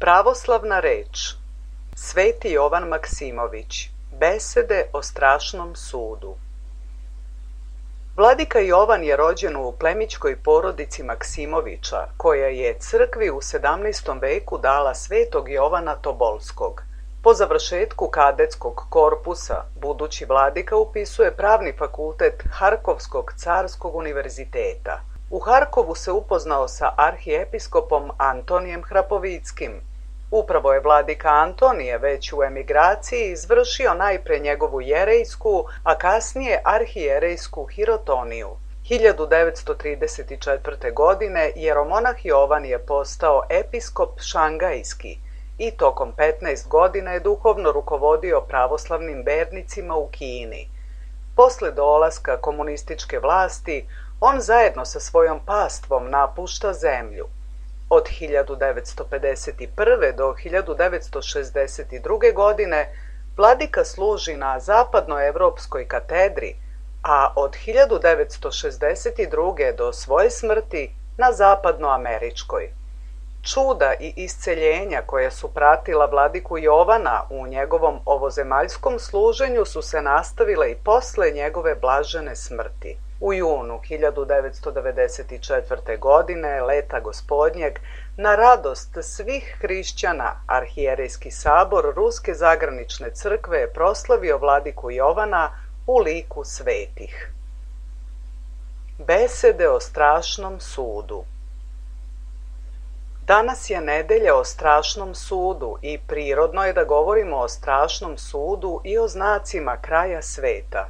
Pravoslavna reč. Sveti Jovan Maksimović. Besede o strašnom sudu. Vladika Jovan je rođen u plemićkoj porodici Maksimovića, koja je crkvi u 17. veku dala svetog Jovana Tobolskog. Po završetku kadetskog korpusa, budući vladika upisuje pravni fakultet Harkovskog carskog univerziteta. U Harkovu se upoznao sa arhiepiskopom Antonijem Hrapovickim. Upravo je vladika Antonije već u emigraciji izvršio najpre njegovu jerejsku, a kasnije arhijerejsku hirotoniju. 1934. godine jeromonah Jovan je postao episkop šangajski i tokom 15 godina je duhovno rukovodio pravoslavnim vernicima u Kini. Posle dolaska komunističke vlasti, on zajedno sa svojom pastvom napušta zemlju. Od 1951. do 1962. godine vladika služi na zapadnoevropskoj katedri, a od 1962. do svoje smrti na zapadnoameričkoj. Čuda i isceljenja koja su pratila vladiku Jovana u njegovom ovozemaljskom služenju su se nastavile i posle njegove blažene smrti. U junu 1994. godine, leta gospodnjeg, na radost svih hrišćana, arhijerejski sabor Ruske zagranične crkve je proslavio vladiku Jovana u liku svetih. Besede o strašnom sudu. Danas je nedelja o strašnom sudu i prirodno je da govorimo o strašnom sudu i o znacima kraja sveta.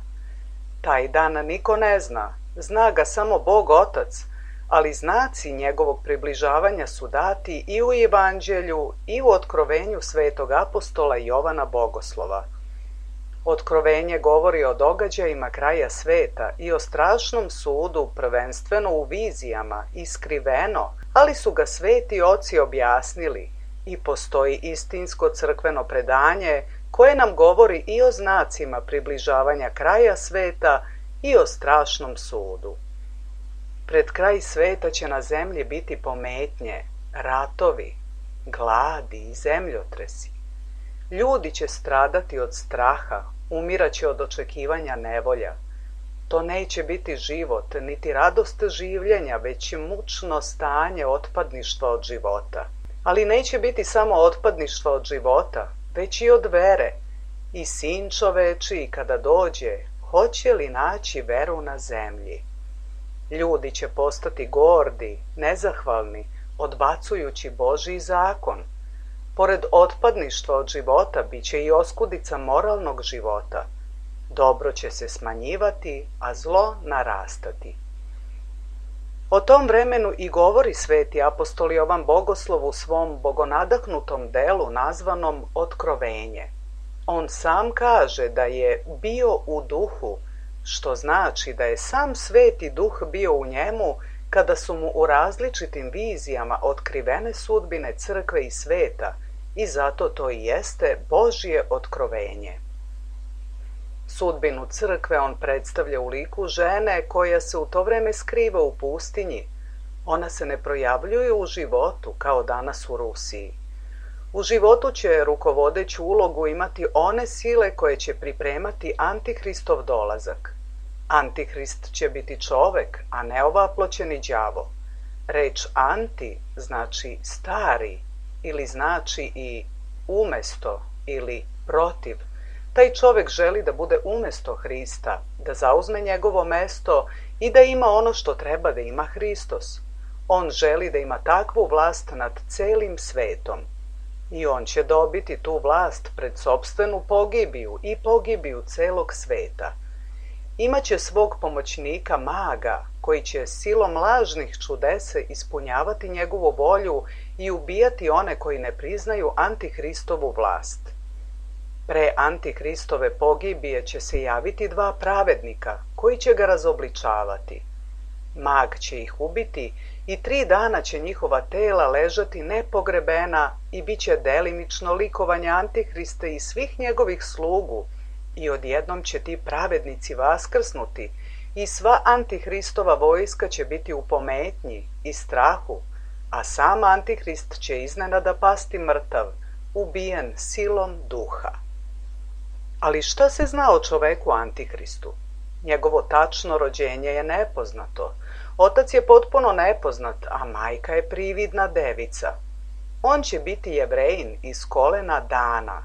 Taj dan niko ne zna, zna ga samo Bog Otac, ali znaci njegovog približavanja su dati i u Evanđelju i u otkrovenju svetog apostola Jovana Bogoslova. Otkrovenje govori o događajima kraja sveta i o strašnom sudu, prvenstveno u vizijama i skriveno, ali su ga sveti oci objasnili i postoji istinsko crkveno predanje koje nam govori i o znacima približavanja kraja sveta i o strašnom sudu. Pred kraj sveta će na zemlji biti pometnje, ratovi, gladi i zemljotresi. Ljudi će stradati od straha, umiraće od očekivanja nevolja. To neće biti život, niti radost življenja, već mučno stanje otpadništva od života. Ali neće biti samo otpadništva od života, već i od vere. I sin čovečiji kada dođe, hoće li naći veru na zemlji? Ljudi će postati gordi, nezahvalni, odbacujući Božji zakon. Pored otpadništva od života bit će i oskudica moralnog života. Dobro će se smanjivati, a zlo narastati. O tom vremenu i govori sveti apostol Jovan Bogoslov u svom bogonadahnutom delu nazvanom Otkrovenje. On sam kaže da je bio u duhu, što znači da je sam sveti duh bio u njemu kada su mu u različitim vizijama otkrivene sudbine crkve i sveta i zato to i jeste Božje otkrovenje. Sudbinu crkve on predstavlja u liku žene koja se u to vreme skriva u pustinji. Ona se ne projavljuje u životu kao danas u Rusiji. U životu će rukovodeću ulogu imati one sile koje će pripremati Antihristov dolazak. Antihrist će biti čovek, a ne ovaploćeni đavo. Reč anti znači stari ili znači i umesto ili protiv. Taj čovek želi da bude umesto Hrista, da zauzme njegovo mesto i da ima ono što treba da ima Hristos. On želi da ima takvu vlast nad celim svetom. I on će dobiti tu vlast pred sopstvenu pogibiju i pogibiju celog sveta. Imaće svog pomoćnika maga, koji će silom lažnih čudesa ispunjavati njegovu volju i ubijati one koji ne priznaju Antihristovu vlast. Pre Antihristove pogibije će se javiti dva pravednika, koji će ga razobličavati. Mag će ih ubiti i 3 dana će njihova tela ležati nepogrebena i bit će delimično likovanje Antihrista i svih njegovih slugu, i odjednom će ti pravednici vaskrsnuti i sva Antihristova vojska će biti u pometnji i strahu, a sam Antihrist će iznenada pasti mrtav, ubijen silom duha. Ali šta se zna o čoveku Antihristu? Njegovo tačno rođenje je nepoznato. Otac je potpuno nepoznat, a majka je prividna devica. On će biti Jevrejin iz kolena Dana.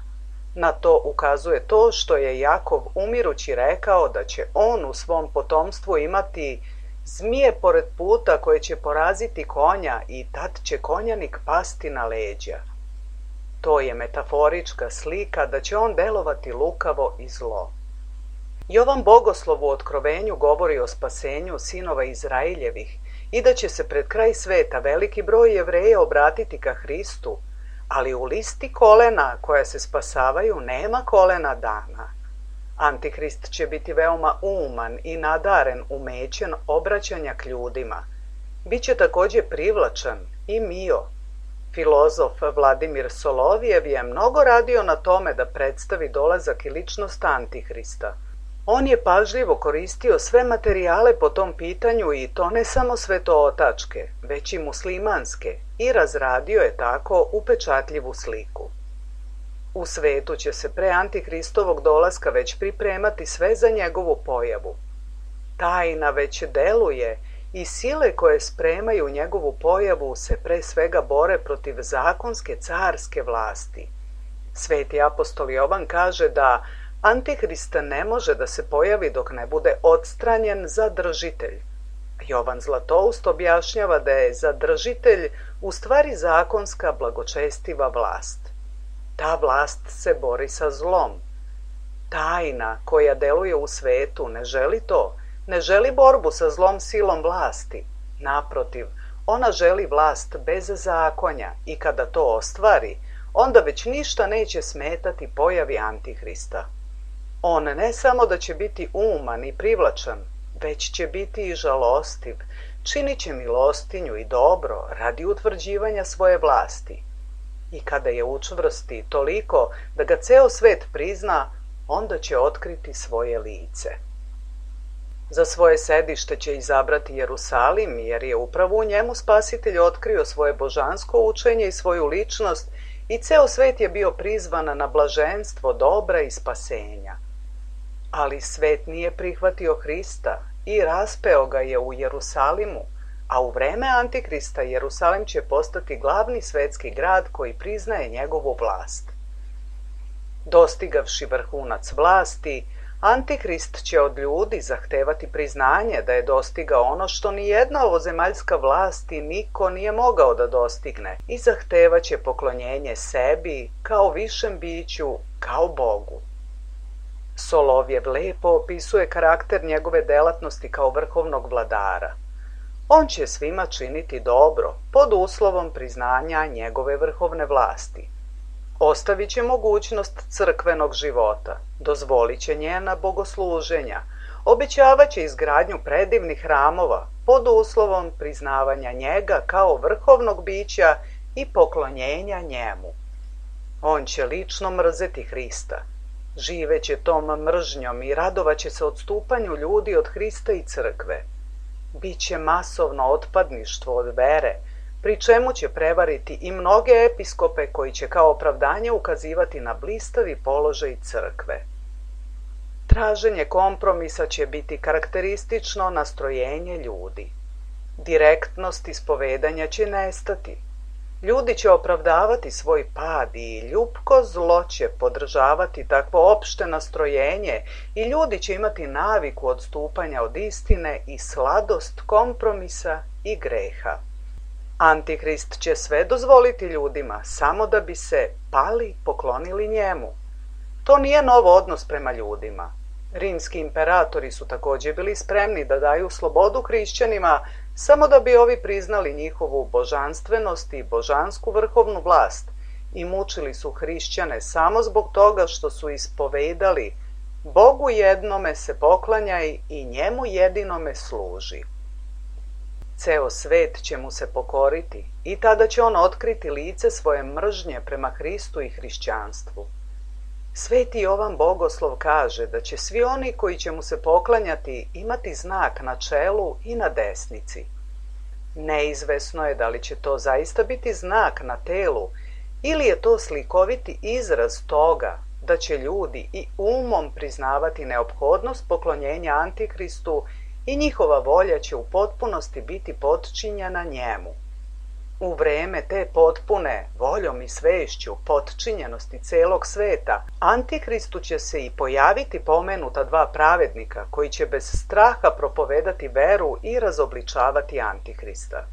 Na to ukazuje to što je Jakov umirući rekao da će on u svom potomstvu imati zmije pored puta koje će poraziti konja i tad će konjanik pasti na leđa. To je metaforička slika da će on delovati lukavo i zlo. Jovan Bogoslov u Otkrovenju govori o spasenju sinova Izraeljevih i da će se pred kraj sveta veliki broj Jevreja obratiti ka Hristu, ali u listi kolena koja se spasavaju nema kolena Dana. Antihrist će biti veoma uman i nadaren umećem obraćanja k ljudima. Biće također privlačan i mio. Filozof Vladimir Solovijev je mnogo radio na tome da predstavi dolazak i ličnost Antihrista. On je pažljivo koristio sve materijale po tom pitanju i to ne samo svetootačke, već i muslimanske, i razradio je tako upečatljivu sliku. U svetu će se pre Antihristovog dolaska već pripremati sve za njegovu pojavu. Tajna već deluje i sile koje spremaju njegovu pojavu se pre svega bore protiv zakonske carske vlasti. Sveti apostol Jovan kaže da Antihrist ne može da se pojavi dok ne bude odstranjen zadržitelj. Jovan Zlatoust objašnjava da je zadržitelj u stvari zakonska blagočestiva vlast. Ta vlast se bori sa zlom. Tajna koja deluje u svetu ne želi to, ne želi borbu sa zlom silom vlasti. Naprotiv, ona želi vlast bez zakonja i kada to ostvari, onda već ništa neće smetati pojavi Antihrista. On ne samo da će biti uman i privlačan, već će biti i žalostiv, činit će milostinju i dobro radi utvrđivanja svoje vlasti. I kada je učvrsti toliko da ga ceo svet prizna, onda će otkriti svoje lice. Za svoje sedište će izabrati Jerusalim, jer je upravo u njemu Spasitelj otkrio svoje božansko učenje i svoju ličnost i ceo svet je bio prizvan na blaženstvo dobra i spasenja. Ali svet nije prihvatio Hrista i raspeo ga je u Jerusalimu, a u vreme Antihrista Jerusalim će postati glavni svetski grad koji priznaje njegovu vlast. Dostigavši vrhunac vlasti, Antihrist će od ljudi zahtevati priznanje da je dostigao ono što nijedna ovozemaljska vlast i niko nije mogao da dostigne i zahtevaće poklonjenje sebi kao višem biću, kao Bogu. Solovjev lepo opisuje karakter njegove delatnosti kao vrhovnog vladara. On će svima činiti dobro pod uslovom priznanja njegove vrhovne vlasti. Ostavit će mogućnost crkvenog života, dozvolit će njena bogosluženja, obećavat će izgradnju predivnih hramova pod uslovom priznavanja njega kao vrhovnog bića i poklonjenja njemu. On će lično mrzeti Hrista, živeće tom mržnjom i radovaće se odstupanju ljudi od Hrista i crkve. Biće masovno otpadništvo od vere, pri čemu će prevariti i mnoge episkope koji će kao opravdanje ukazivati na blistavi položaj crkve. Traženje kompromisa će biti karakteristično nastrojenje ljudi. Direktnost ispovedanja će nestati. Ljudi će opravdavati svoj pad i ljupko zlo će podržavati takvo opšte nastrojenje i ljudi će imati naviku odstupanja od istine i sladost kompromisa i greha. Antihrist će sve dozvoliti ljudima samo da bi se pali poklonili njemu. To nije nov odnos prema ljudima. Rimski imperatori su također bili spremni da daju slobodu hrišćanima samo da bi ovi priznali njihovu božanstvenost i božansku vrhovnu vlast i mučili su hrišćane samo zbog toga što su ispovedali Bogu jednome se poklanjaj i njemu jedinome služi. Ceo svet će mu se pokoriti i tada će on otkriti lice svoje mržnje prema Hristu i hrišćanstvu. Sveti Jovan Bogoslov kaže da će svi oni koji će mu se poklanjati imati znak na čelu i na desnici. Neizvesno je da li će to zaista biti znak na telu ili je to slikoviti izraz toga da će ljudi i umom priznavati neophodnost poklonjenja Antikristu i njihova volja će u potpunosti biti potčinjena njemu. U vreme te potpune voljom i svešću potčinjenosti celog sveta, Antikristu će se i pojaviti pomenuta dva pravednika koji će bez straha propovedati veru i razobličavati Antikrista.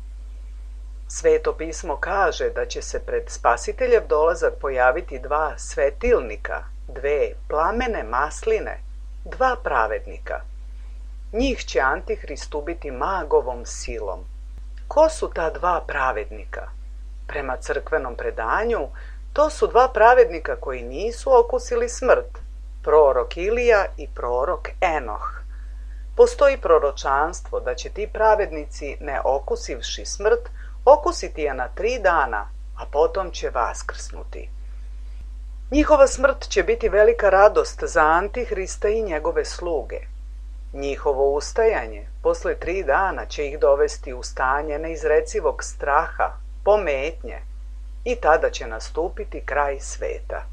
Sveto pismo kaže da će se pred Spasiteljev dolazak pojaviti dva svetilnika, dve plamene masline, dva pravednika. Njih će Antihrist ubiti magovom silom. Ko su ta dva pravednika? Prema crkvenom predanju, to su dva pravednika koji nisu okusili smrt, prorok Ilija i prorok Enoh. Postoji proročanstvo da će ti pravednici, ne okusivši smrt, okusiti je na 3 dana, a potom će vaskrsnuti. Njihova smrt će biti velika radost za Antihrista i njegove sluge. Njihovo ustajanje posle 3 dana će ih dovesti u stanje neizrecivog straha, pometnje, i tada će nastupiti kraj sveta.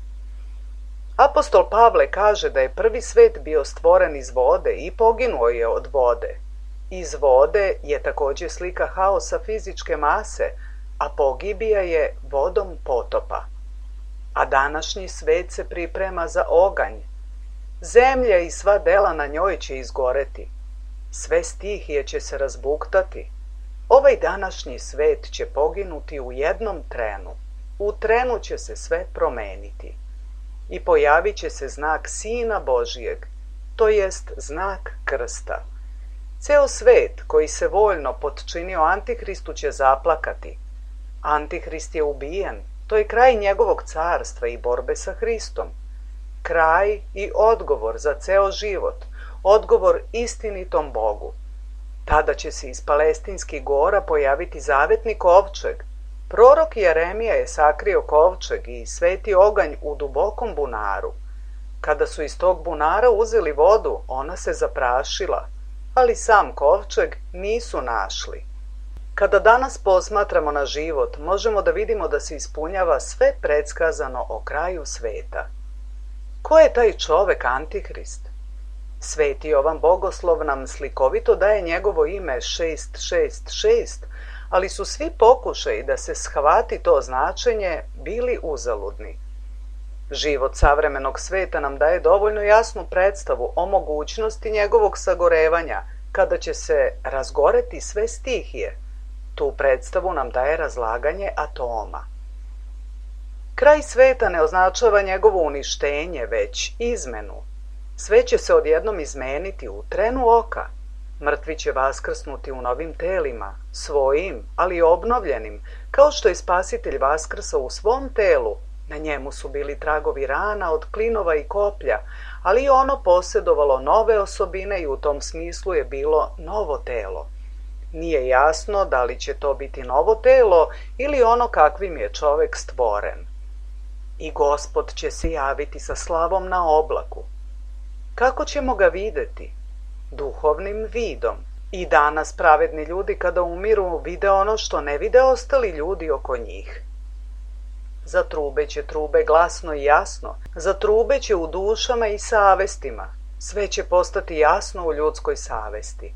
Apostol Pavle kaže da je prvi svet bio stvoren iz vode i poginuo je od vode. Iz vode je također slika haosa fizičke mase, a pogibija je vodom potopa. A današnji svet se priprema za oganj. Zemlja i sva dela na njoj će izgoreti. Sve stihije će se razbuktati. Ovaj današnji svet će poginuti u jednom trenu. U trenu će se sve promeniti. I pojavit će se znak Sina Božijeg, to jest znak krsta. Ceo svet koji se voljno potčinio Antihristu će zaplakati. Antihrist je ubijen, to je kraj njegovog carstva i borbe sa Hristom. Kraj i odgovor za ceo život, odgovor istinitom Bogu. Tada će se iz Palestinskih gora pojaviti zavetni kovčeg. Prorok Jeremija je sakrio kovčeg i sveti oganj u dubokom bunaru. Kada su iz tog bunara uzeli vodu, ona se zaprašila, ali sam kovčeg nisu našli. Kada danas posmatramo na život, možemo da vidimo da se ispunjava sve predskazano o kraju sveta. Ko je taj čovek Antihrist? Sveti Jovan Bogoslov nam slikovito daje njegovo ime 666, ali su svi pokušaji da se shvati to značenje bili uzaludni. Život savremenog sveta nam daje dovoljno jasnu predstavu o mogućnosti njegovog sagorevanja, kada će se razgoreti sve stihije. Tu predstavu nam daje razlaganje atoma. Kraj sveta ne označava njegovo uništenje, već izmenu. Sve će se odjednom izmeniti u trenu oka. Mrtvi će vaskrsnuti u novim telima, svojim, ali obnovljenim, kao što je Spasitelj vaskrsao u svom telu. Na njemu su bili tragovi rana od klinova i koplja, ali i ono posjedovalo nove osobine i u tom smislu je bilo novo telo. Nije jasno da li će to biti novo telo ili ono kakvim je čovek stvoren. I Gospod će se javiti sa slavom na oblaku. Kako ćemo ga videti? Duhovnim vidom. I danas pravedni ljudi kada umiru vide ono što ne vide ostali ljudi oko njih. Zatrubeće trube glasno i jasno, zatrubeće u dušama i savestima. Sve će postati jasno u ljudskoj savesti.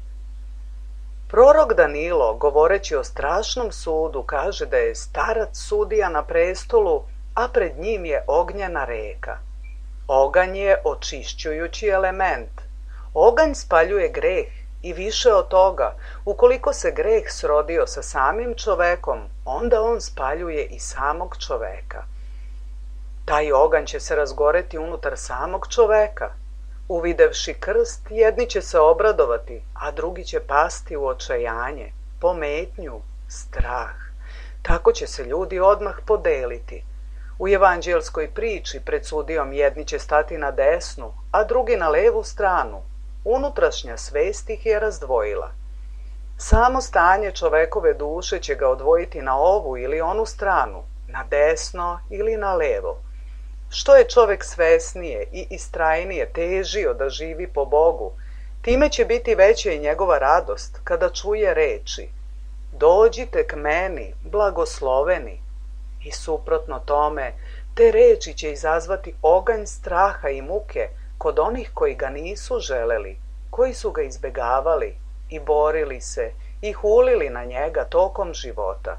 Prorok Danilo, govoreći o strašnom sudu, kaže da je starac sudija na prestolu, a pred njim je ognjena reka. Oganj je očišćujući element. Oganj spaljuje greh i više od toga, ukoliko se greh srodio sa samim čovekom, onda on spaljuje i samog čoveka. Taj oganj će se razgoreti unutar samog čoveka. Uvidevši krst, jedni će se obradovati, a drugi će pasti u očajanje, pometnju, strah. Tako će se ljudi odmah podeliti. U evanđelskoj priči pred sudijom jedni će stati na desnu, a drugi na levu stranu. Unutrašnja svest ih je razdvojila. Samo stanje čovekove duše će ga odvojiti na ovu ili onu stranu, na desno ili na levo. Što je čovek svesnije i istrajnije težio da živi po Bogu, time će biti veća i njegova radost kada čuje reči. dođite k meni, blagosloveni. I suprotno tome, te reči će izazvati oganj straha i muke kod onih koji ga nisu želeli, koji su ga izbegavali i borili se i hulili na njega tokom života.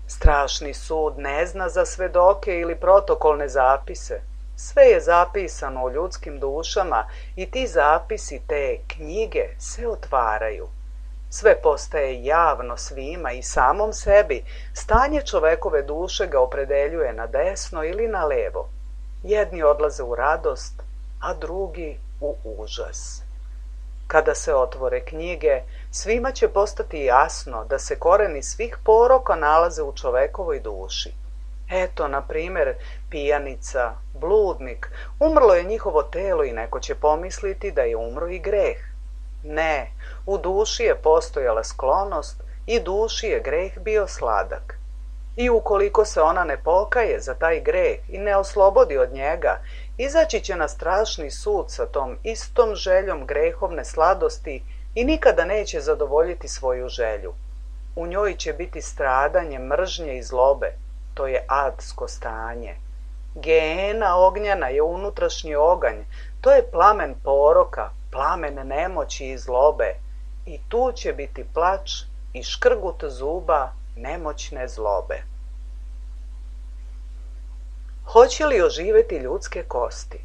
Strašni sud ne zna za svedoke ili protokolne zapise. Sve je zapisano u ljudskim dušama i ti zapisi, te knjige, se otvaraju. Sve postaje javno svima i samom sebi. Stanje čovekove duše ga opredeljuje na desno ili na levo. Jedni odlaze u radost, a drugi u užas. Kada se otvore knjige, svima će postati jasno da se koreni svih poroka nalaze u čovekovoj duši. Eto, na primer, pijanica, bludnik, umrlo je njihovo telo i neko će pomisliti da je umro i greh. Ne, u duši je postojala sklonost i duši je greh bio sladak. I ukoliko se ona ne pokaje za taj greh i ne oslobodi od njega, izaći će na strašni sud sa tom istom željom grehovne sladosti i nikada neće zadovoljiti svoju želju. U njoj će biti stradanje, mržnje i zlobe. To je adsko stanje. Geena ognjena je unutrašnji oganj. To je plamen poroka, plamen nemoći i zlobe. I tu će biti plač i škrgut zuba nemoćne zlobe. Hoće li oživeti ljudske kosti?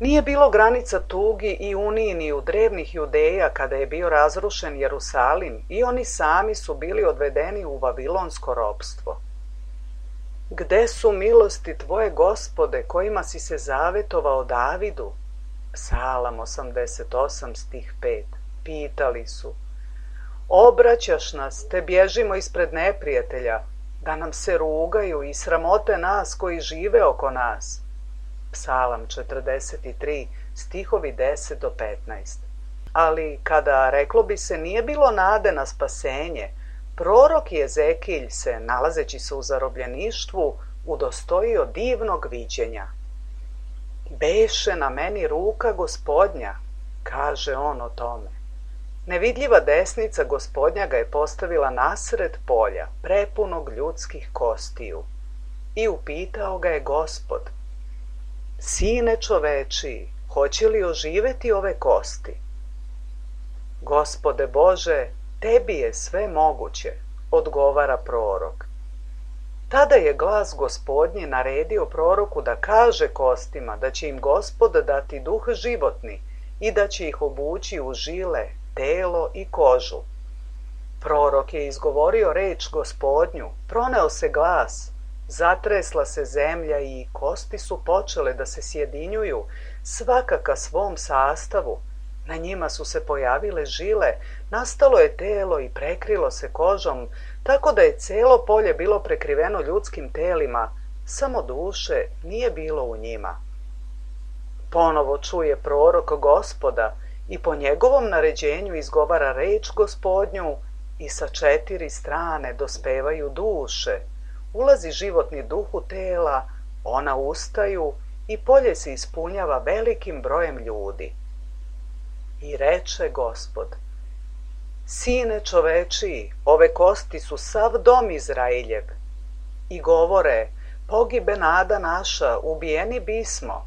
Nije bilo granica tugi i uniji ni u drevnih Judeja kada je bio razrušen Jerusalim i oni sami su bili odvedeni u vavilonsko ropstvo. Gde su milosti tvoje, Gospode, kojima si se zavetovao Davidu? Psalam 88 stih 5. Pitali su. Obraćaš nas, te bježimo ispred neprijatelja, da nam se rugaju i sramote nas koji žive oko nas. Psalam 43, stihovi 10 do 15. Ali kada, reklo bi se, nije bilo nade na spasenje, prorok Jezekilj se, nalazeći se u zarobljeništvu, udostojio divnog viđenja. Beše na meni ruka Gospodnja, kaže on o tome. Nevidljiva desnica Gospodnja ga je postavila nasred polja, prepunog ljudskih kostiju. I upitao ga je Gospod, Sine čovečiji, hoće li oživeti ove kosti? Gospode Bože, tebi je sve moguće, odgovara prorok. Tada je glas Gospodnji naredio proroku da kaže kostima da će im Gospod dati duh životni i da će ih obući u žile, telo i kožu. Prorok je izgovorio reč Gospodnju, proneo se glas, zatresla se zemlja i kosti su počele da se sjedinjuju, svaka ka svom sastavu. Na njima su se pojavile žile, nastalo je telo i prekrilo se kožom, tako da je celo polje bilo prekriveno ljudskim telima, samo duše nije bilo u njima. Ponovo čuje prorok Gospoda i po njegovom naređenju izgovara reč Gospodnju i sa 4 strane dospevaju duše. Ulazi životni duh u tela, ona ustaju i polje se ispunjava velikim brojem ljudi. I reče Gospod, Sine čovečiji, ove kosti su sav dom Izrailjev. I govore, pogibe nada naša, ubijeni bismo.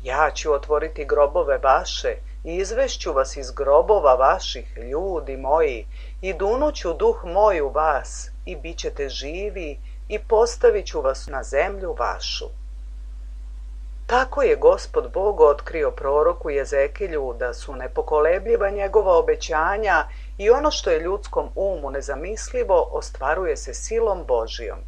Ja ću otvoriti grobove vaše i izvešću vas iz grobova vaših, ljudi moji, i dunuću duh moj u vas i bit ćete živi i postavit ću vas na zemlju vašu. Tako je Gospod Bog otkrio proroku Jezekilju da su nepokolebljiva njegova obećanja i ono što je ljudskom umu nezamislivo ostvaruje se silom Božijom.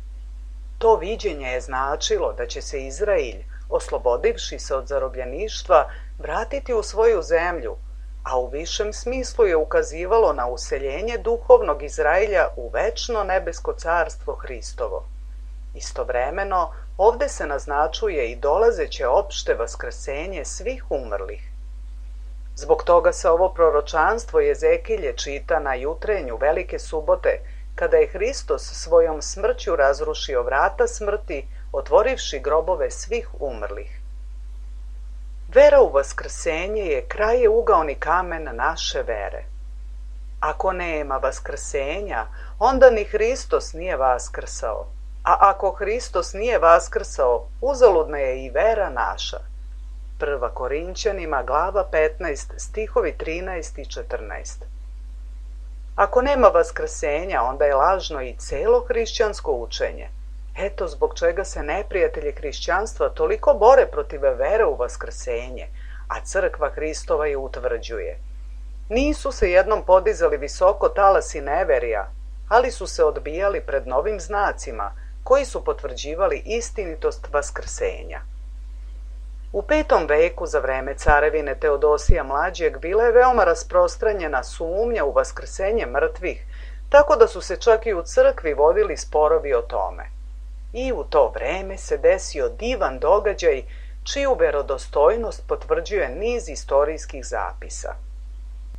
To viđenje je značilo da će se Izrailj, oslobodivši se od zarobljeništva, vratiti u svoju zemlju, a u višem smislu je ukazivalo na useljenje duhovnog Izrailja u večno nebesko carstvo Hristovo. Istovremeno, ovde se naznačuje i dolazeće opšte vaskrsenje svih umrlih. Zbog toga se ovo proročanstvo Jezekilje čita na jutrenju Velike subote, kada je Hristos svojom smrću razrušio vrata smrti, otvorivši grobove svih umrlih. Vera u vaskrsenje je krajeугаoni kamen naše vere. Ako nema vaskrsenja, onda ni Hristos nije vaskrsao. A ako Hristos nije vaskrsao, uzaludna je i vera naša. 1. Korinćanima, glava 15, stihovi 13 i 14. Ako nema vaskrsenja, onda je lažno i celo hrišćansko učenje. Eto zbog čega se neprijatelji hrišćanstva toliko bore protiv vere u vaskrsenje, a crkva Hristova je utvrđuje. Nisu se jednom podizali visoko talasi neverija, ali su se odbijali pred novim znacima koji su potvrđivali istinitost vaskrsenja. U 5. veku za vreme carevine Teodosija Mlađeg bila je veoma rasprostranjena sumnja u vaskrsenje mrtvih, tako da su se čak i u crkvi vodili sporovi o tome. I u to vreme se desio divan događaj čiju verodostojnost potvrđuje niz istorijskih zapisa.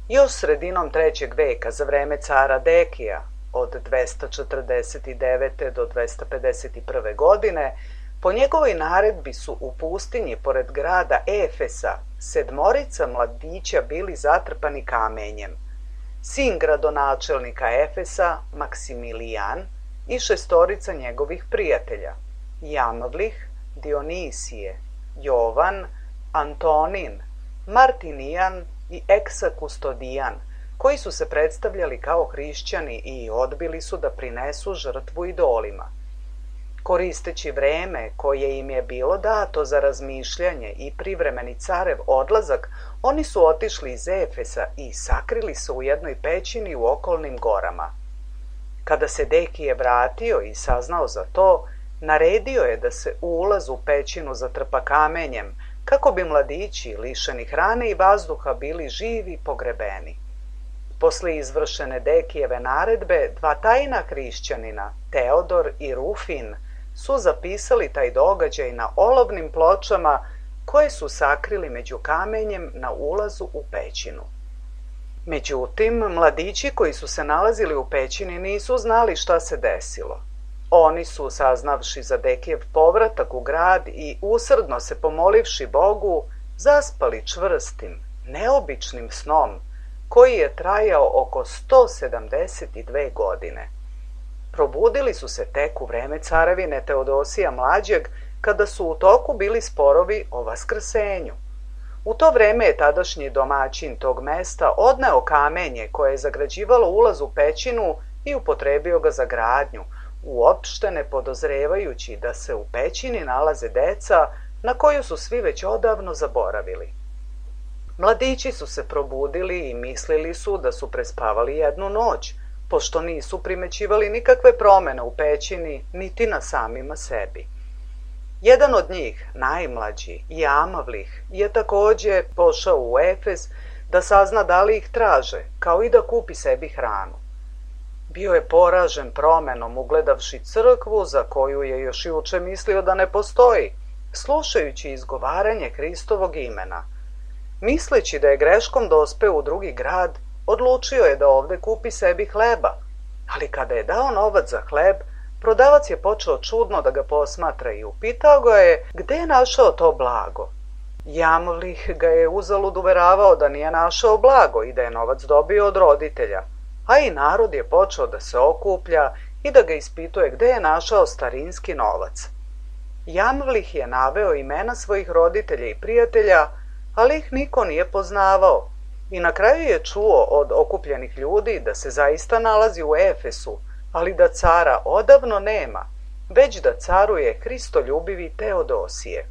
Još sredinom 3. veka za vreme cara Dekija, od 249. do 251. godine, po njegovoj naredbi su u pustinji pored grada Efesa 7 mladića bili zatrpani kamenjem. Sin gradonačelnika Efesa, Maksimilijan, i 6 njegovih prijatelja, Jamvlih, Dionisije, Jovan, Antonin, Martinijan i Eksakustodijan, koji su se predstavljali kao hrišćani i odbili su da prinesu žrtvu idolima. Koristeći vreme koje im je bilo dato za razmišljanje i privremeni carev odlazak, oni su otišli iz Efesa i sakrili se u jednoj pećini u okolnim gorama. Kada se Dekije vratio i saznao za to, naredio je da se ulaz u pećinu zatrpa kamenjem, kako bi mladići, lišeni hrane i vazduha, bili živi pogrebeni. Posle izvršene Dekijeve naredbe, 2 tajna hrišćanina, Teodor i Rufin, su zapisali taj događaj na olovnim pločama koje su sakrili među kamenjem na ulazu u pećinu. Međutim, mladići koji su se nalazili u pećini nisu znali šta se desilo. Oni su, saznavši za Dekijev povratak u grad i usrdno se pomolivši Bogu, zaspali čvrstim, neobičnim snom, koji je trajao oko 172 godine. Probudili su se tek u vreme carevine Teodosija Mlađeg, kada su u toku bili sporovi o vaskrsenju. U to vreme je tadašnji domaćin tog mesta odneo kamenje koje je zagrađivalo ulaz u pećinu i upotrebio ga za gradnju, uopšte ne podozrevajući da se u pećini nalaze deca na koju su svi već odavno zaboravili. Mladići su se probudili i mislili su da su prespavali jednu noć, pošto nisu primećivali nikakve promene u pećini niti na samima sebi. Jedan od njih, najmlađi, Jamavlih, je takođe pošao u Efes da sazna da li ih traže, kao i da kupi sebi hranu. Bio je poražen promenom ugledavši crkvu za koju je još juče mislio da ne postoji, slušajući izgovaranje Hristovog imena. Misleći da je greškom dospeo u drugi grad, odlučio je da ovde kupi sebi hleba, ali kada je dao novac za hleb, prodavac je počeo čudno da ga posmatra i upitao ga je gde je našao to blago. Jamvlih ga je uzalud uveravao da nije našao blago i da je novac dobio od roditelja, a i narod je počeo da se okuplja i da ga ispituje gde je našao starinski novac. Jamvlih je naveo imena svojih roditelja i prijatelja, ali ih niko nije poznavao i na kraju je čuo od okupljenih ljudi da se zaista nalazi u Efesu, ali da cara odavno nema, već da caruje hristoljubivi Teodosije.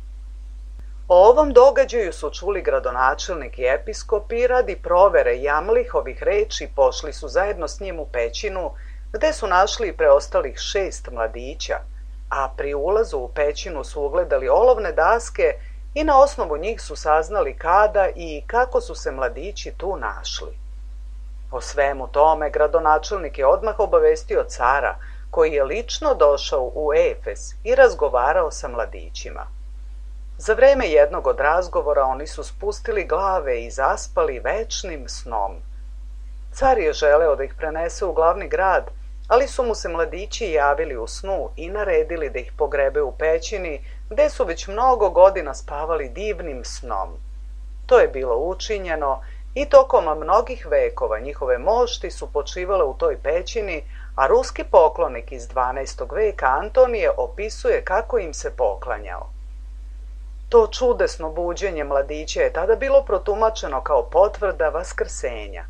O ovom događaju su čuli gradonačelnik i episkop i radi provere Jamlihovih reči pošli su zajedno s njim u pećinu, gde su našli preostalih 6 mladića, a pri ulazu u pećinu su ugledali olovne daske i na osnovu njih su saznali kada i kako su se mladići tu našli. O svemu tome gradonačelnik je odmah obavestio cara, koji je lično došao u Efes i razgovarao sa mladićima. Za vreme jednog od razgovora oni su spustili glave i zaspali večnim snom. Car je želeo da ih prenese u glavni grad, ali su mu se mladići javili u snu i naredili da ih pogrebe u pećini, gde su već mnogo godina spavali divnim snom. To je bilo učinjeno I tokom mnogih vekova njihove mošti su počivale u toj pećini, a ruski poklonik iz 12. veka Antonije opisuje kako im se poklanjao. To čudesno buđenje mladića je tada bilo protumačeno kao potvrda vaskrsenja.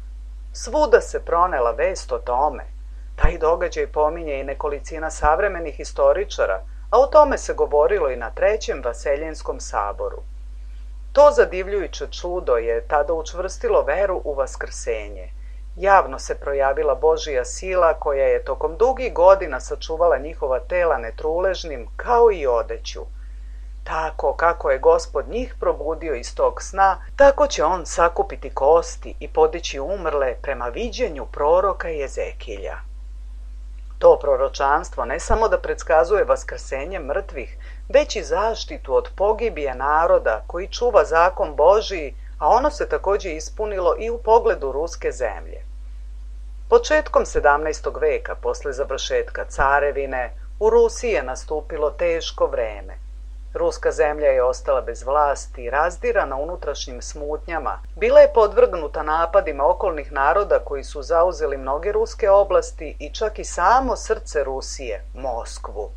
Svuda se pronela vest o tome. Taj događaj pominje i nekolicina savremenih historičara, a o tome se govorilo i na Trećem Vaseljenskom saboru. To zadivljujuće čudo je tada učvrstilo veru u vaskrsenje. Javno se projavila Božija sila koja je tokom dugih godina sačuvala njihova tela netruležnim kao i odeću. Tako kako je Gospod njih probudio iz tog sna, tako će on sakupiti kosti i podići umrle prema viđenju proroka Jezekilja. To proročanstvo ne samo da predskazuje vaskrsenje mrtvih, već i zaštitu od pogibije naroda koji čuva zakon Božiji, a ono se također ispunilo i u pogledu ruske zemlje. Početkom 17. veka, posle završetka carevine, u Rusiji je nastupilo teško vreme. Ruska zemlja je ostala bez vlasti i razdirana unutrašnjim smutnjama. Bila je podvrgnuta napadima okolnih naroda koji su zauzeli mnoge ruske oblasti i čak i samo srce Rusije, Moskvu.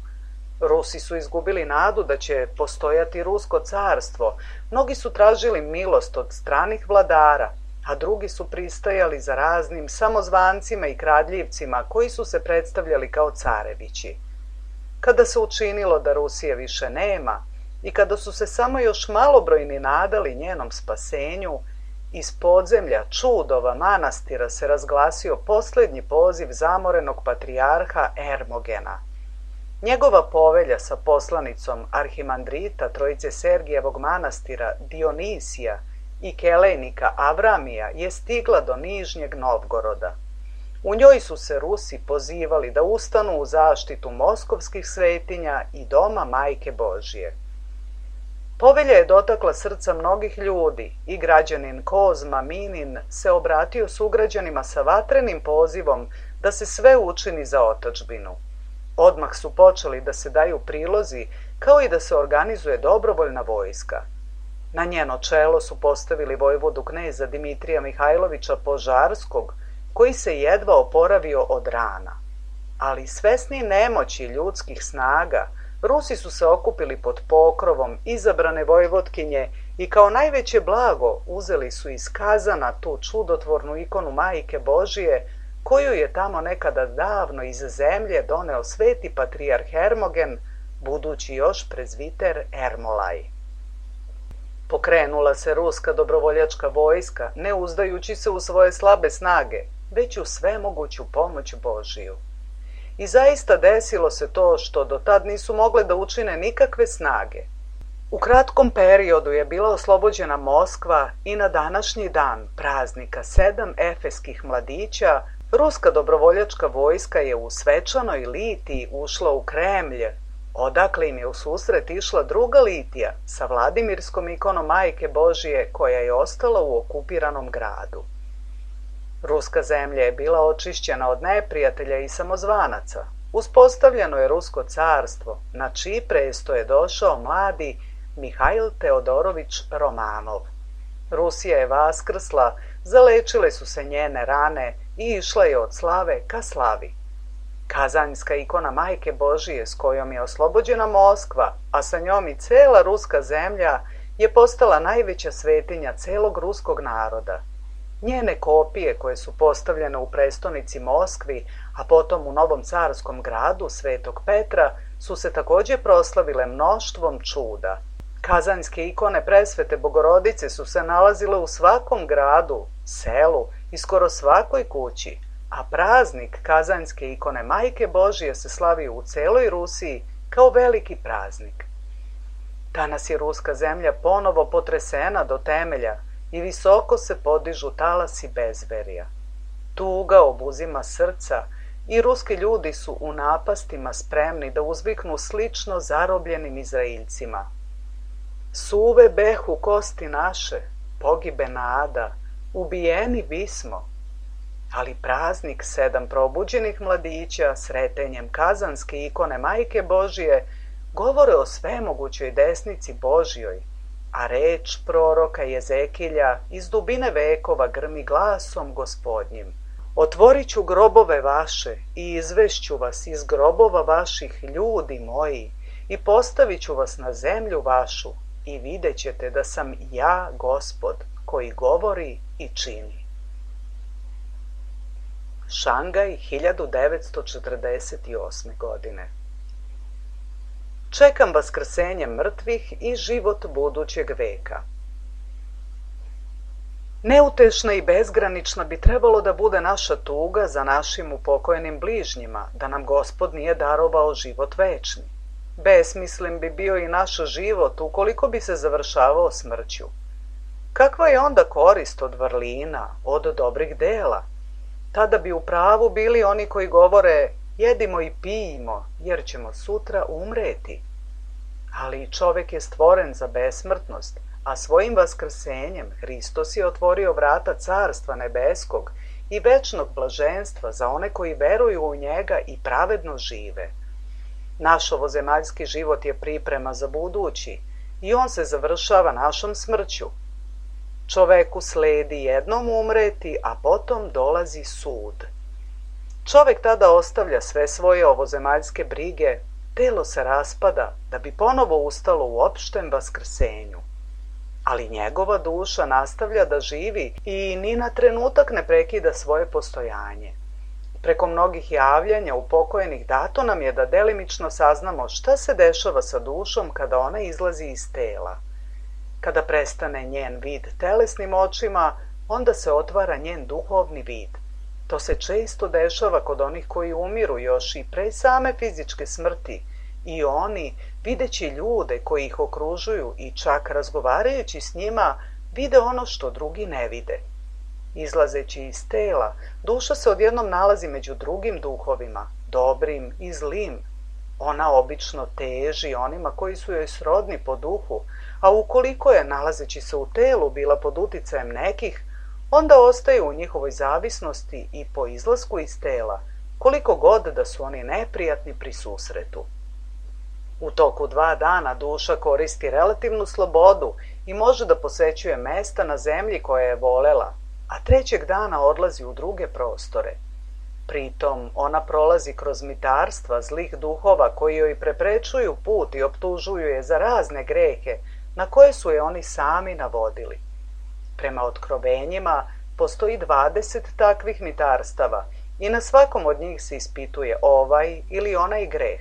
Rusi su izgubili nadu da će postojati rusko carstvo. Mnogi su tražili milost od stranih vladara, a drugi su pristajali za raznim samozvancima i kradljivcima koji su se predstavljali kao carevići. Kada se učinilo da Rusije više nema i kada su se samo još malobrojni nadali njenom spasenju, iz podzemlja čudova manastira se razglasio posljednji poziv zamorenog patrijarha Ermogena. Njegova povelja sa poslanicom arhimandrita Trojice Sergijevog manastira Dionisija i kelejnika Avramija je stigla do Nižnjeg Novgoroda. U njoj su se Rusi pozivali da ustanu u zaštitu moskovskih svetinja i doma Majke Božije. Povelja je dotakla srca mnogih ljudi i građanin Kozma Minin se obratio sugrađanima sa vatrenim pozivom da se sve učini za otadžbinu. Odmah su počeli da se daju prilozi, kao i da se organizuje dobrovoljna vojska. Na njeno čelo su postavili vojvodu kneza Dimitrija Mihajlovića Požarskog, koji se jedva oporavio od rana. Ali svesni nemoći ljudskih snaga, Rusi su se okupili pod pokrovom izabrane vojvotkinje i kao najveće blago uzeli su iz Kazana tu čudotvornu ikonu Majke Božije, koju je tamo nekada davno iz zemlje doneo sveti patrijarh Hermogen, budući još prezviter Ermolaj. Pokrenula se ruska dobrovoljačka vojska, ne uzdajući se u svoje slabe snage, već u svemoguću pomoć Božiju. I zaista desilo se to što do tad nisu mogle da učine nikakve snage. U kratkom periodu je bila oslobođena Moskva i na današnji dan praznika 7 efeskih mladića, ruska dobrovoljačka vojska je u svečanoj litiji ušla u Kremlj, odakle im je u susret išla druga litija sa Vladimirskom ikonom Majke Božije koja je ostala u okupiranom gradu. Ruska zemlja je bila očišćena od neprijatelja i samozvanaca. Uspostavljeno je Rusko carstvo, na čiji presto je došao mladi Mihajl Teodorović Romanov. Rusija je vaskrsla, zalečile su se njene rane i išla je od slave ka slavi. Kazanjska ikona Majke Božije s kojom je oslobođena Moskva, a sa njom i cela ruska zemlja, je postala najveća svetinja celog ruskog naroda. Njene kopije koje su postavljene u prestonici Moskvi, a potom u Novom carskom gradu Svetog Petra, su se također proslavile mnoštvom čuda. Kazanjske ikone presvete Bogorodice su se nalazile u svakom gradu, selu i skoro svakoj kući, a praznik Kazanjske ikone Majke Božije se slavi u celoj Rusiji kao veliki praznik. Danas je ruska zemlja ponovo potresena do temelja i visoko se podižu talasi bezverja. Tuga obuzima srca i ruski ljudi su u napastima spremni da uzviknu slično zarobljenim Izraeljcima. Suve behu kosti naše, pogibe nada, ubijeni bismo. Ali praznik 7 probuđenih mladića sretenjem Kazanske ikone Majke Božije govore o svemogućoj desnici Božjoj. a reč proroka Jezekilja iz dubine vekova grmi glasom Gospodnjim. Otvorit ću grobove vaše i izvešću vas iz grobova vaših, ljudi moji, i postavit ću vas na zemlju vašu i vidjet ćete da sam ja Gospod koji govori i čini. Šangaj, 1948. godine. Čekam vaskrsenje mrtvih i život budućeg veka. Neutešna i bezgranična bi trebalo da bude naša tuga za našim upokojenim bližnjima, da nam Gospod nije darovao život večni. Besmislen bi bio i naš život ukoliko bi se završavao smrću. Kakva je onda korist od vrlina, od dobrih dela? Tada bi u pravu bili oni koji govore jedimo i pijimo, jer ćemo sutra umreti. Ali čovek je stvoren za besmrtnost, a svojim vaskrsenjem Hristos je otvorio vrata Carstva nebeskog i večnog blaženstva za one koji veruju u njega i pravedno žive. Naš ovozemaljski život je priprema za budući i on se završava našom smrću. Čoveku sledi jednom umreti, a potom dolazi sud. Čovek tada ostavlja sve svoje ovozemaljske brige, telo se raspada da bi ponovo ustalo u opštem vaskrsenju. Ali njegova duša nastavlja da živi i ni na trenutak ne prekida svoje postojanje. Preko mnogih javljanja upokojenih dato nam je da delimično saznamo šta se dešava sa dušom kada ona izlazi iz tela. Kada prestane njen vid telesnim očima, onda se otvara njen duhovni vid. To se često dešava kod onih koji umiru još i pre same fizičke smrti i oni, videći ljude koji ih okružuju i čak razgovarajući s njima, vide ono što drugi ne vide. Izlazeći iz tela, duša se odjednom nalazi među drugim duhovima, dobrim i zlim. Ona obično teži onima koji su joj srodni po duhu, a ukoliko je, nalazeći se u telu, bila pod uticajem nekih, onda ostaje u njihovoj zavisnosti i po izlasku iz tela, koliko god da su oni neprijatni pri susretu. U toku 2 dana duša koristi relativnu slobodu i može da posećuje mesta na zemlji koje je volela, a 3. dana odlazi u druge prostore. Pritom ona prolazi kroz mitarstva zlih duhova koji joj preprečuju put i optužuju je za razne grehe na koje su je oni sami navodili. Prema otkrovenjima postoji 20 takvih mitarstava i na svakom od njih se ispituje ovaj ili onaj greh.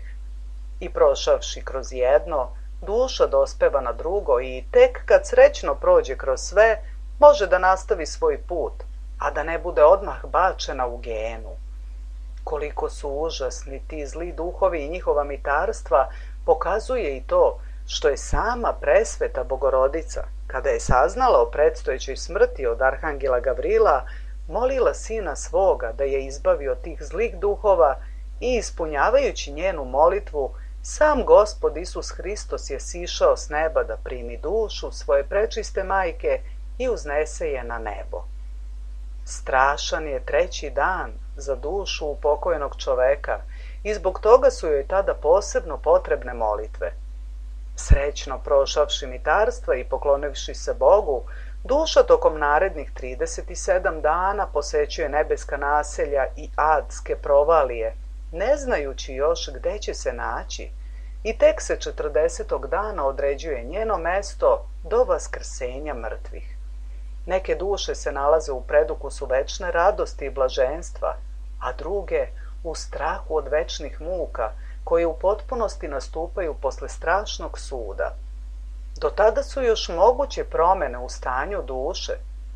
I prošavši kroz jedno, duša dospeva na drugo i tek kad srećno prođe kroz sve, može da nastavi svoj put, a da ne bude odmah bačena u genu. Koliko su užasni ti zli duhovi i njihova mitarstva, pokazuje i to što je sama presveta Bogorodica, kada je saznala o predstojećoj smrti od arhangela Gavrila, molila sina svoga da je izbavi od tih zlih duhova i ispunjavajući njenu molitvu, sam Gospod Isus Hristos je sišao s neba da primi dušu svoje prečiste majke i uznese je na nebo. Strašan je 3. dan za dušu upokojenog čoveka i zbog toga su joj tada posebno potrebne molitve. Srećno prošavši mitarstva i poklonivši se Bogu, duša tokom narednih 37 dana posećuje nebeska naselja i adske provalije, ne znajući još gde će se naći, i tek se 40. dana određuje njeno mesto do vaskrsenja mrtvih. Neke duše se nalaze u predukusu večne radosti i blaženstva, a druge u strahu od večnih muka, koje u potpunosti nastupaju posle strašnog suda. Do tada su još moguće promene u stanju duše,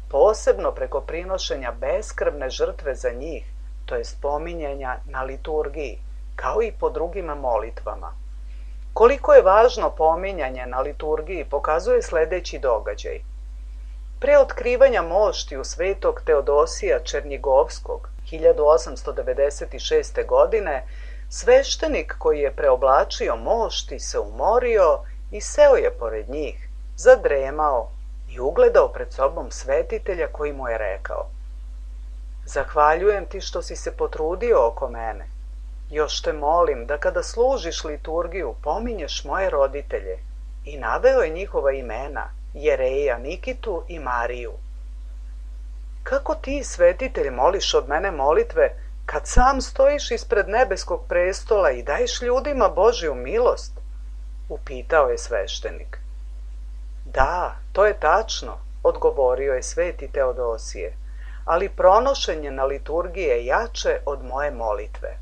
posebno preko prinošenja beskrvne žrtve za njih, to je spominjanja na liturgiji, kao i po drugim molitvama. Koliko je važno pominjanje na liturgiji pokazuje sledeći događaj. Pre otkrivanja moštiju svetog Teodosija Černjigovskog 1896. godine, sveštenik koji je preoblačio mošti se umorio i seo je pored njih, zadremao i ugledao pred sobom svetitelja koji mu je rekao: "Zahvaljujem ti što si se potrudio oko mene. Još te molim da kada služiš liturgiju pominješ moje roditelje." I naveo je njihova imena Jereja Nikitu i Mariju. Kako ti, svetitelj, moliš od mene molitve kad sam stojiš ispred nebeskog prestola i daješ ljudima Božju milost? Upitao je sveštenik. Da, to je tačno, odgovorio je sveti Teodosije, ali pronošenje na liturgiji je jače od moje molitve.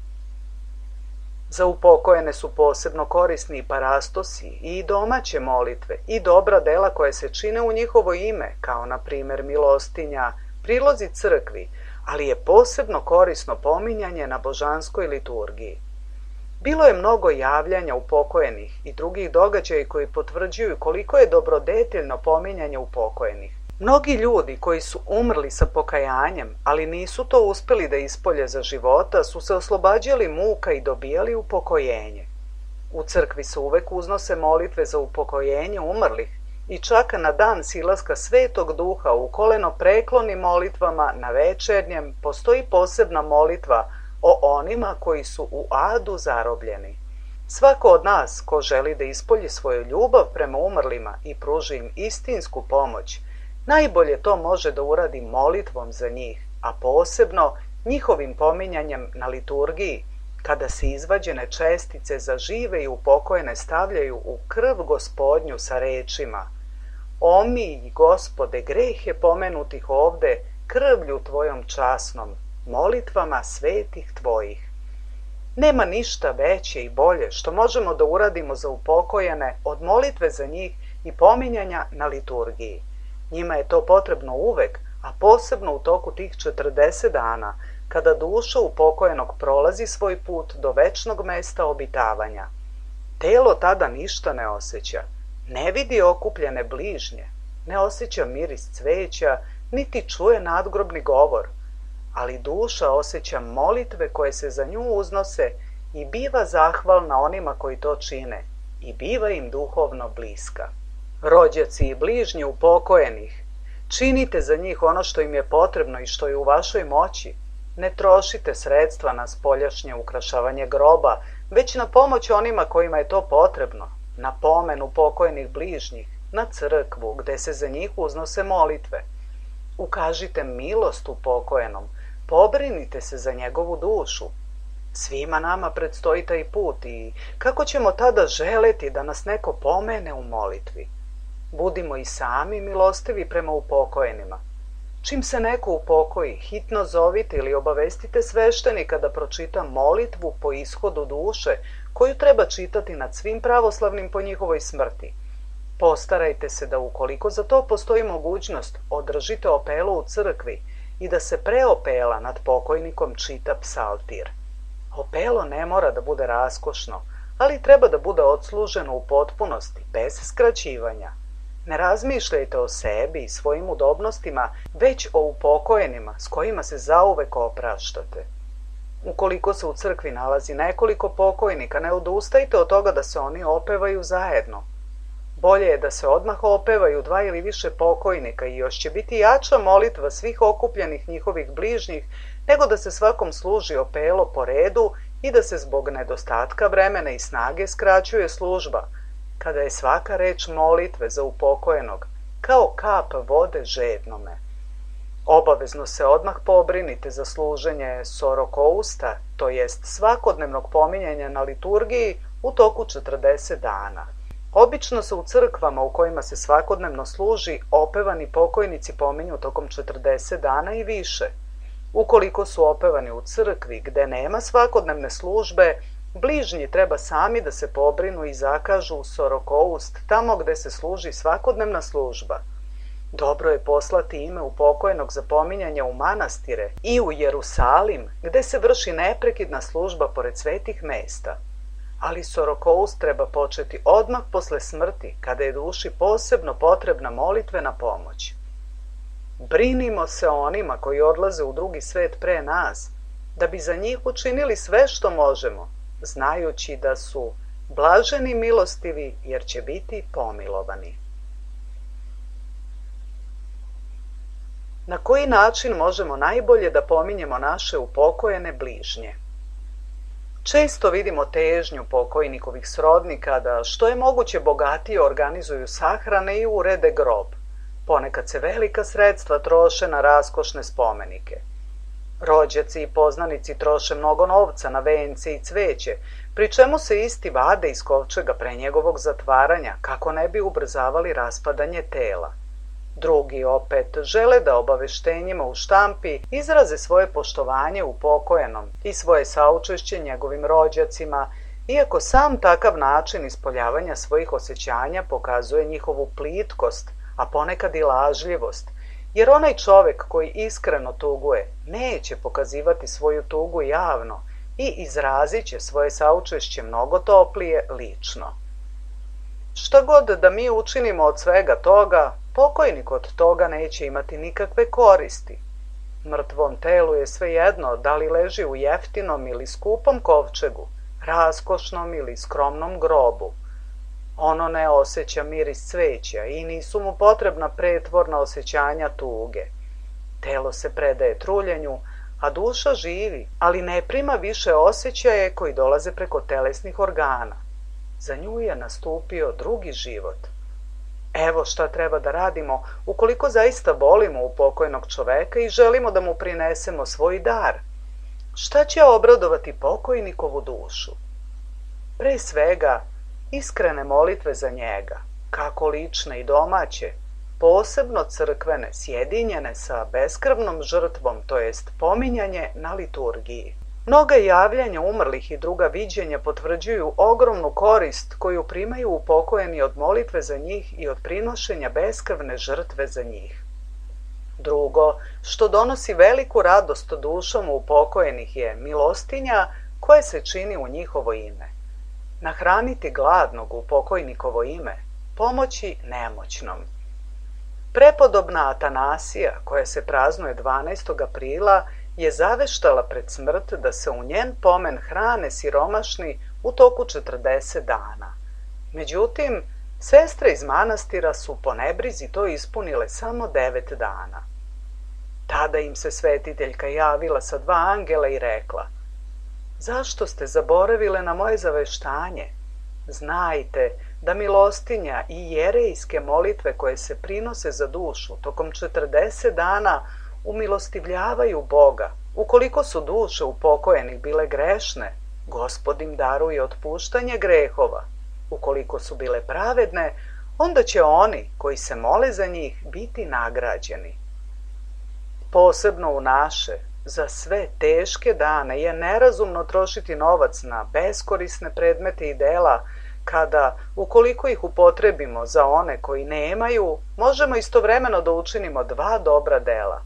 Za upokojene su posebno korisni i parastosi i domaće molitve i dobra dela koje se čine u njihovo ime, kao na primjer milostinja, prilozi crkvi, ali je posebno korisno pominjanje na božanskoj liturgiji. Bilo je mnogo javljanja upokojenih i drugih događaja koji potvrđuju koliko je dobrodeteljno pominjanje upokojenih. Mnogi ljudi koji su umrli sa pokajanjem, ali nisu to uspeli da ispolje za života, su se oslobađali muka i dobijali upokojenje. U crkvi se uvek uznose molitve za upokojenje umrlih i čak na dan silaska Svetog Duha u koleno prekloni molitvama na večernjem postoji posebna molitva o onima koji su u adu zarobljeni. Svako od nas ko želi da ispolji svoju ljubav prema umrlima i pruži im istinsku pomoć, najbolje to može da uradi molitvom za njih, a posebno njihovim pominjanjem na liturgiji, kada se izvađene čestice za žive i upokojene stavljaju u krv Gospodnju sa rečima: Omilj, Gospode, grehe pomenutih ovde krvlju Tvojom časnom, molitvama svetih Tvojih. Nema ništa veće i bolje što možemo da uradimo za upokojene od molitve za njih i pominjanja na liturgiji. Njima je to potrebno uvek, a posebno u toku tih 40 dana, kada duša upokojenog prolazi svoj put do večnog mesta obitavanja. Telo tada ništa ne osjeća, ne vidi okupljene bližnje, ne osjeća miris cveća, niti čuje nadgrobni govor, ali duša osjeća molitve koje se za nju uznose i biva zahvalna onima koji to čine i biva im duhovno bliska. Rođaci i bližnji upokojenih, činite za njih ono što im je potrebno i što je u vašoj moći. Ne trošite sredstva na spoljašnje ukrašavanje groba, već na pomoć onima kojima je to potrebno, na pomen upokojenih bližnjih, na crkvu gde se za njih uznose molitve. Ukažite milost upokojenom, pobrinite se za njegovu dušu. Svima nama predstoji taj put i kako ćemo tada želeti da nas neko pomene u molitvi? Budimo i sami milostivi prema upokojenima. Čim se neko upokoji, hitno zovite ili obavestite sveštenika da pročita molitvu po ishodu duše, koju treba čitati nad svim pravoslavnim po njihovoj smrti. Postarajte se da, ukoliko za to postoji mogućnost, održite opelu u crkvi i da se pre opela nad pokojnikom čita psaltir. Opelo ne mora da bude raskošno, ali treba da bude odsluženo u potpunosti, bez skraćivanja. Ne razmišljajte o sebi i svojim udobnostima, već o upokojenima s kojima se zauvek opraštate. Ukoliko se u crkvi nalazi nekoliko pokojnika, ne odustajte od toga da se oni opevaju zajedno. Bolje je da se odmah opevaju 2 ili više pokojnika i još će biti jača molitva svih okupljenih njihovih bližnjih, nego da se svakom služi opelo po redu i da se zbog nedostatka vremena i snage skraćuje služba, kada je svaka reč molitve za upokojenog kao kap vode žednome. Obavezno se odmah pobrinite za služenje sorokousta, to jest svakodnevnog pominjanja na liturgiji u toku 40 dana. Obično se u crkvama u kojima se svakodnevno služi opevani pokojnici pominju tokom 40 dana i više. Ukoliko su opevani u crkvi gde nema svakodnevne službe, bližnji treba sami da se pobrinu i zakažu sorokoust tamo gde se služi svakodnevna služba. Dobro je poslati ime upokojenog za pominjanje u manastire i u Jerusalim, gde se vrši neprekidna služba pored svetih mesta. Ali sorokoust treba početi odmah posle smrti, kada je duši posebno potrebna molitvena pomoć. Brinimo se o onima koji odlaze u drugi svet pre nas, da bi za njih učinili sve što možemo, znajući da su blaženi milostivi jer će biti pomilovani. Na koji način možemo najbolje da pominjemo naše upokojene bližnje? Često vidimo težnju pokojnikovih srodnika da što je moguće bogatije organizuju sahrane i urede grob. Ponekad se velika sredstva troše na raskošne spomenike. Rođaci i poznanici troše mnogo novca na vence i cveće, pri čemu se isti vade iz kovčega pre njegovog zatvaranja kako ne bi ubrzavali raspadanje tela. Drugi opet žele da obaveštenjima u štampi izraze svoje poštovanje upokojenom i svoje saučešće njegovim rođacima, iako sam takav način ispoljavanja svojih osjećanja pokazuje njihovu plitkost, a ponekad i lažljivost, jer onaj čovek koji iskreno tuguje neće pokazivati svoju tugu javno i izrazit će svoje saučešće mnogo toplije lično. Šta god da mi učinimo od svega toga, pokojnik od toga neće imati nikakve koristi. Mrtvom telu je svejedno da li leži u jeftinom ili skupom kovčegu, raskošnom ili skromnom grobu. Ono ne osjeća miris cveća i nisu mu potrebna pretvorna osjećanja tuge. Telo se predaje truljenju, a duša živi, ali ne prima više osjećaje koji dolaze preko telesnih organa. Za nju je nastupio drugi život. Evo šta treba da radimo ukoliko zaista volimo upokojnog čoveka i želimo da mu prinesemo svoj dar. Šta će obradovati pokojnikovu dušu? Pre svega, iskrene molitve za njega, kako lične i domaće, posebno crkvene, sjedinjene sa beskrvnom žrtvom, to jest pominjanje na liturgiji. Mnoga javljanja umrlih i druga viđenja potvrđuju ogromnu korist koju primaju upokojeni od molitve za njih i od prinošenja beskrvne žrtve za njih. Drugo, što donosi veliku radost dušom upokojenih je milostinja koja se čini u njihovo ime. Nahraniti gladnog u pokojnikovo ime, pomoći nemoćnom. Prepodobna Atanasija, koja se praznuje 12. aprila, je zaveštala pred smrt da se u njen pomen hrane siromašni u toku 40 dana. Međutim, sestre iz manastira su po nebrizi to ispunile samo 9 dana. Tada im se svetiteljka javila sa 2 angela i rekla: zašto ste zaboravile na moje zaveštanje? Znajte da milostinja i jerejske molitve koje se prinose za dušu tokom 40 dana umilostivljavaju Boga. Ukoliko su duše upokojenih bile grešne, Gospod im daruje otpuštanje grehova. Ukoliko su bile pravedne, onda će oni koji se mole za njih biti nagrađeni. Posebno u naše, za sve teške dane je nerazumno trošiti novac na beskorisne predmete i dela, kada, ukoliko ih upotrebimo za one koji nemaju, možemo istovremeno da učinimo 2 dobra dela,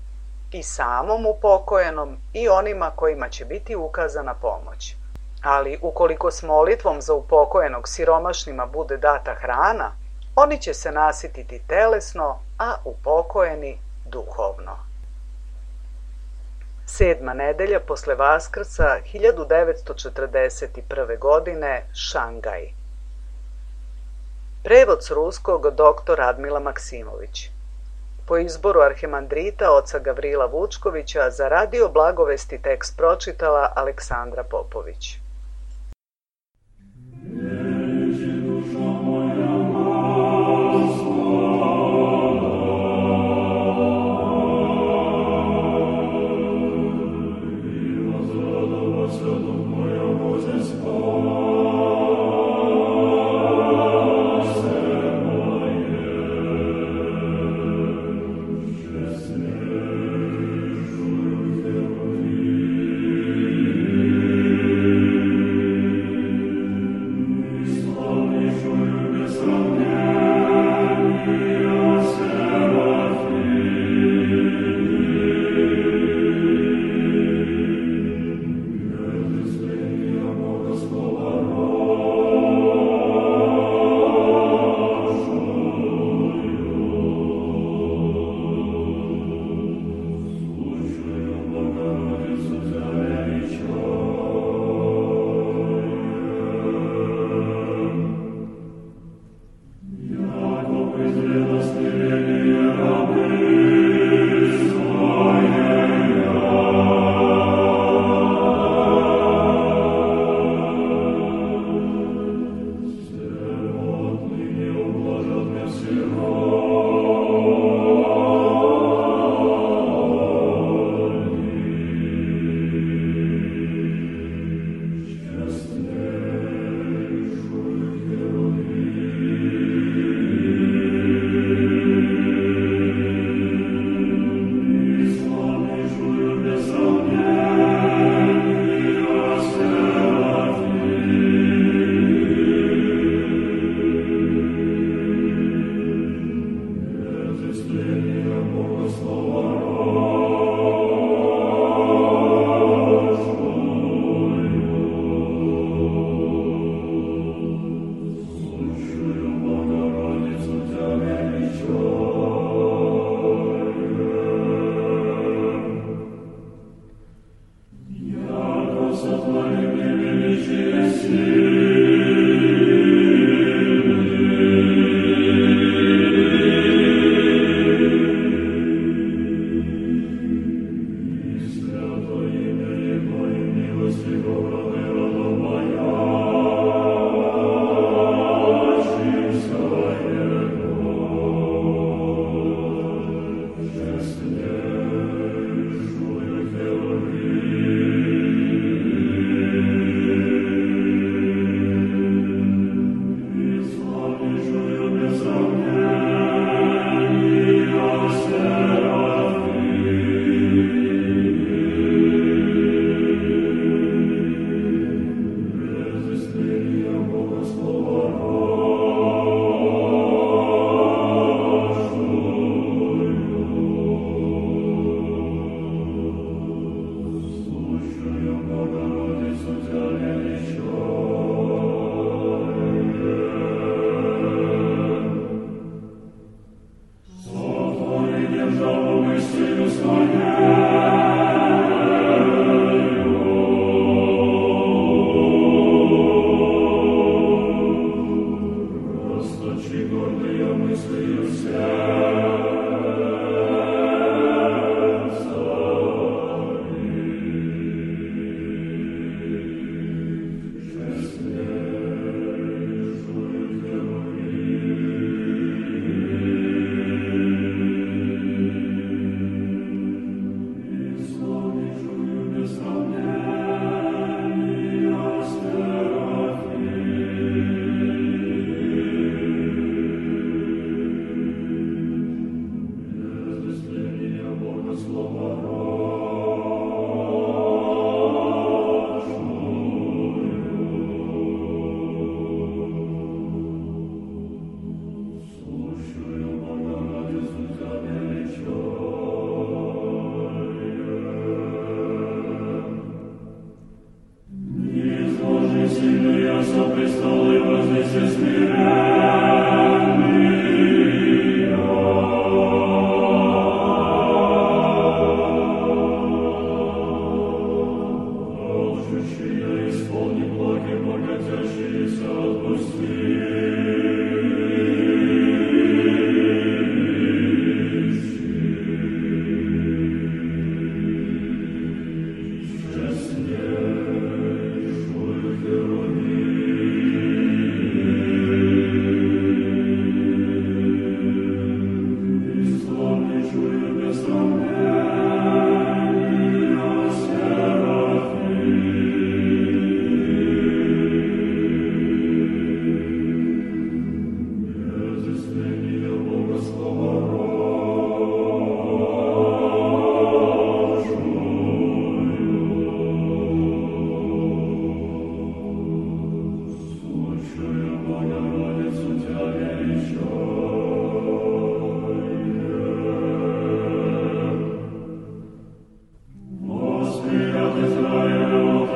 i samom upokojenom i onima kojima će biti ukazana pomoć. Ali ukoliko s molitvom za upokojenog siromašnima bude data hrana, oni će se nasititi telesno, a upokojeni duhovno. 7. nedelja posle Vaskrsa 1941. godine, Šangaj. Prevod s ruskog dr. Radmila Maksimović. Po izboru arhimandrita oca Gavrila Vučkovića za radio Blagovesti tekst pročitala Aleksandra Popović. Slow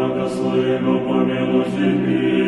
Благословенно помилуй меня.